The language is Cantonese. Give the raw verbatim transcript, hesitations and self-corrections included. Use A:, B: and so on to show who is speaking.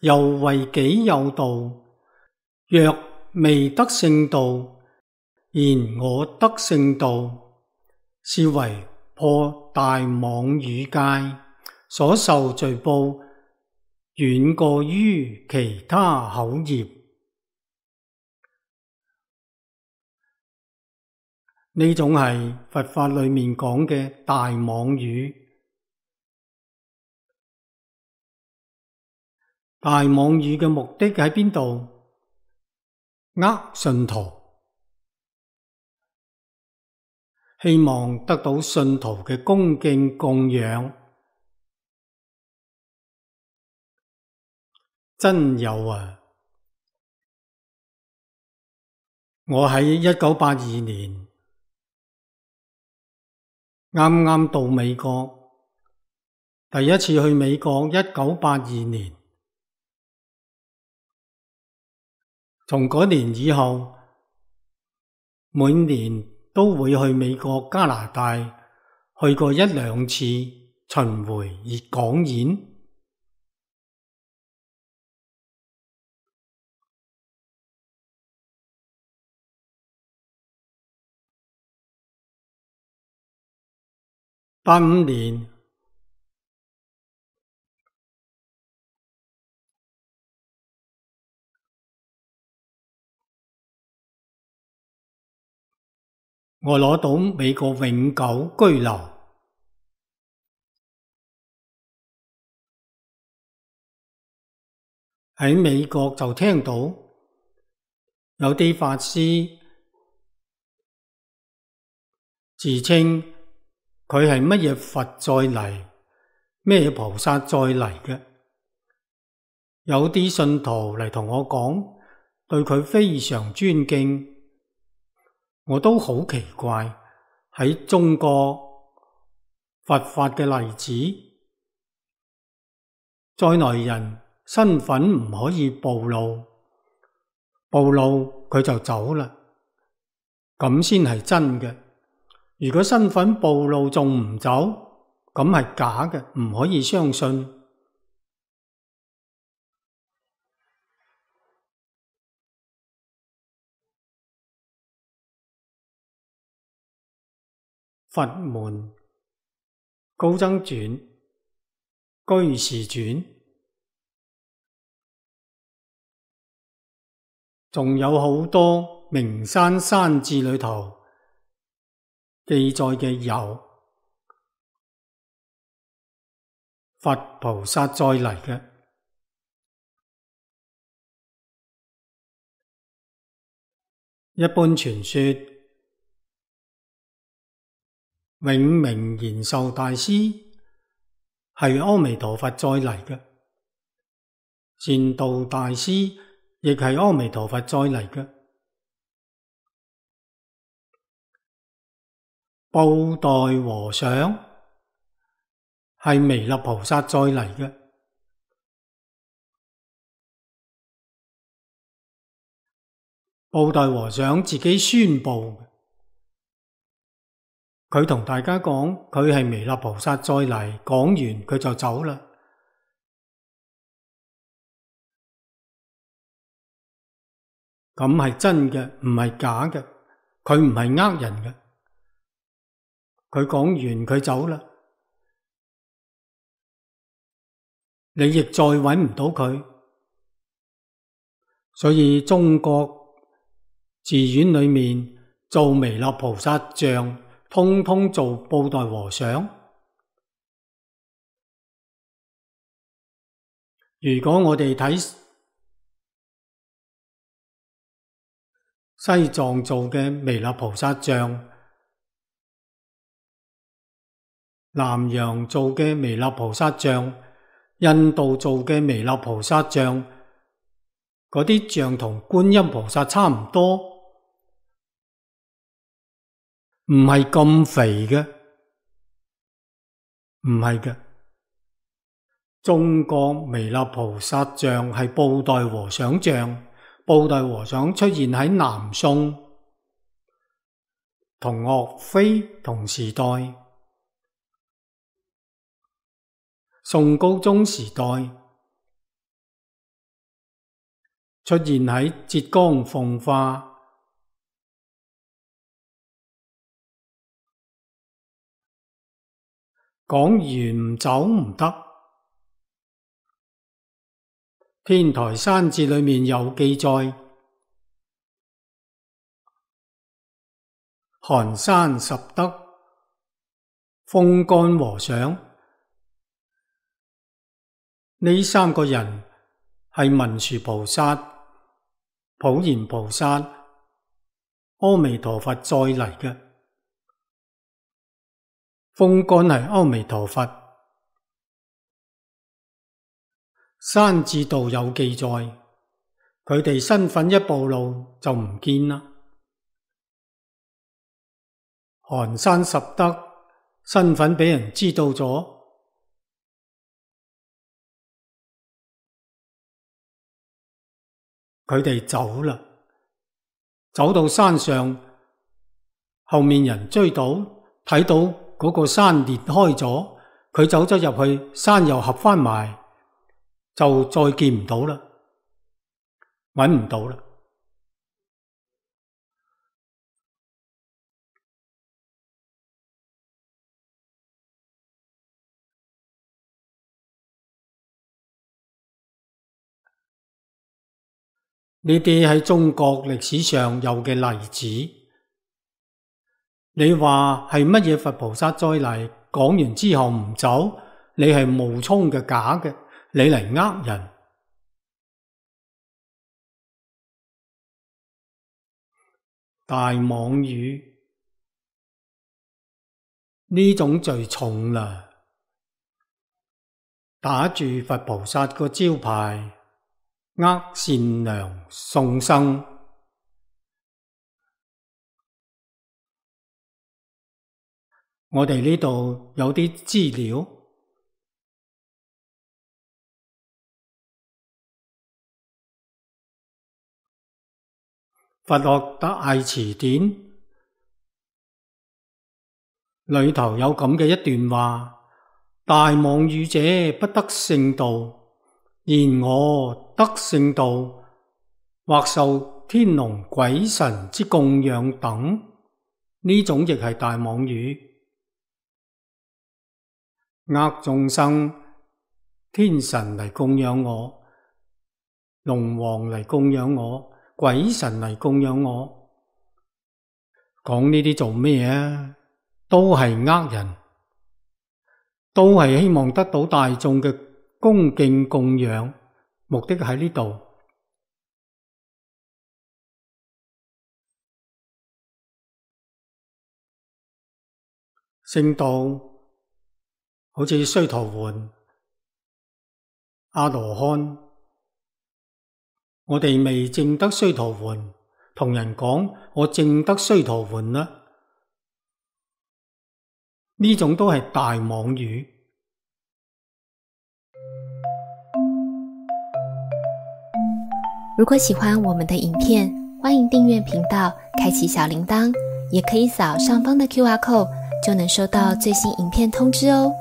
A: 猶為己有道，若未得聖道，言我得聖道，是為破大妄語戒，所受罪報遠過於其他口業。呢種係佛法裏面講嘅大妄語。大妄語嘅目的喺邊度？呃信徒，希望得到信徒嘅恭敬供養。真有啊！我喺一九八二年啱啱到美國，第一次去美國，一九八二年。從嗰年以後，每年都會去美國、加拿大，去過一兩次巡迴演講演。八五年，我攞到美國永久居留。喺美國就聽到有啲法師自稱佢係乜嘢佛再嚟，咩菩薩再嚟嘅。有啲信徒嚟同我講，對佢非常尊敬。我都好奇怪，喺中國佛法嘅例子，在內人身份唔可以暴露，暴露佢就走啦，咁先係真嘅。如果身份暴露仲唔走，咁係假嘅，唔可以相信。佛門高僧傳、居士傳，仲有好多名山山志裏頭記載嘅有佛菩薩再嚟嘅。一般傳說永明延壽大師係阿彌陀佛再嚟嘅，善導大師亦係阿彌陀佛再嚟嘅，布袋和尚係彌勒菩薩再嚟嘅。布袋和尚自己宣布，佢同大家講佢係彌勒菩薩再嚟，講完佢就走啦。咁係真嘅，唔係假嘅，佢唔係呃人嘅。佢講完佢走啦，你亦再搵唔到佢。所以中國寺院裏面做彌勒菩薩像，通通做布袋和尚。如果我哋睇西藏做嘅彌勒菩薩像，南洋做嘅彌勒菩薩像，印度做嘅彌勒菩薩像，嗰啲像同觀音菩薩差唔多，唔係咁肥嘅，唔係嘅。中國彌勒菩薩像係布袋和尚像，布袋和尚出現喺南宋，同岳飛同時代。宋高宗時代，出現喺浙江奉化。講完唔走唔得。天台山誌裏面有記載，寒山拾得、風干和尚呢三個人係文殊菩薩、普賢菩薩、阿彌陀佛再嚟嘅。風干係阿彌陀佛，山誌度有記載，佢哋身份一暴露就唔見啦。寒山拾得身份俾人知道咗，佢哋走啦，走到山上，後面人追到，睇到嗰個山裂開咗，佢走咗入去，山又合返埋，就再見唔到啦，搵唔到啦。呢啲喺中國歷史上有嘅例子，你話係乜嘢佛菩薩再嚟，講完之後唔走，你係冒充嘅假嘅，你嚟呃人。大妄語呢種罪重啦，打住佛菩薩個招牌，呃善良眾生。我哋呢度有啲資料，佛學大辭典裏頭有咁嘅一段話：大妄語者不得聖道，然我得聖道，或受天龍鬼神之供養等，呢種亦係大妄語。呃眾生，天神嚟供養我，龍王嚟供養我，鬼神嚟供養我，講呢啲做咩啊？都係呃人，都係希望得到大眾嘅恭敬供養，目的喺呢度。聖道好似須陀洹、阿羅漢，我哋未證得須陀洹，同人講我證得須陀洹啦，呢種都係大妄語。
B: 如果喜歡我們的影片，歡迎訂閱頻道，開啟小鈴鐺，也可以掃上方的 Q R code，就能收到最新影片通知哦。